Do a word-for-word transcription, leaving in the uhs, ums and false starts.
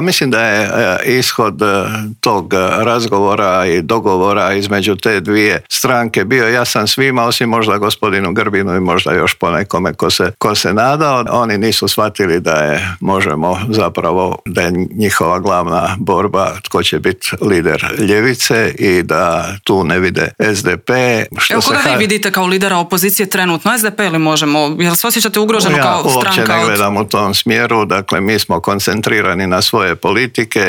Mislim da je ishod tog razgovora i dogovora između te dvije stranke bio jasan svima, osim možda gospodinu Grbinu i možda još ponekome ko se, ko se nadao. Oni nisu shvatili da je, možemo zapravo, da je njihova glavna borba tko će biti lider ljevice i da tu ne vide S D P. Što Evo, koga se vi vidite kao lidera opozicije trenutno? S D P ili Možemo? Jel se osjećate ugroženo ja kao stranka? Ja uopće ne od... gledam u tom smjeru. Dakle, mi smo koncentrirani na svoje politike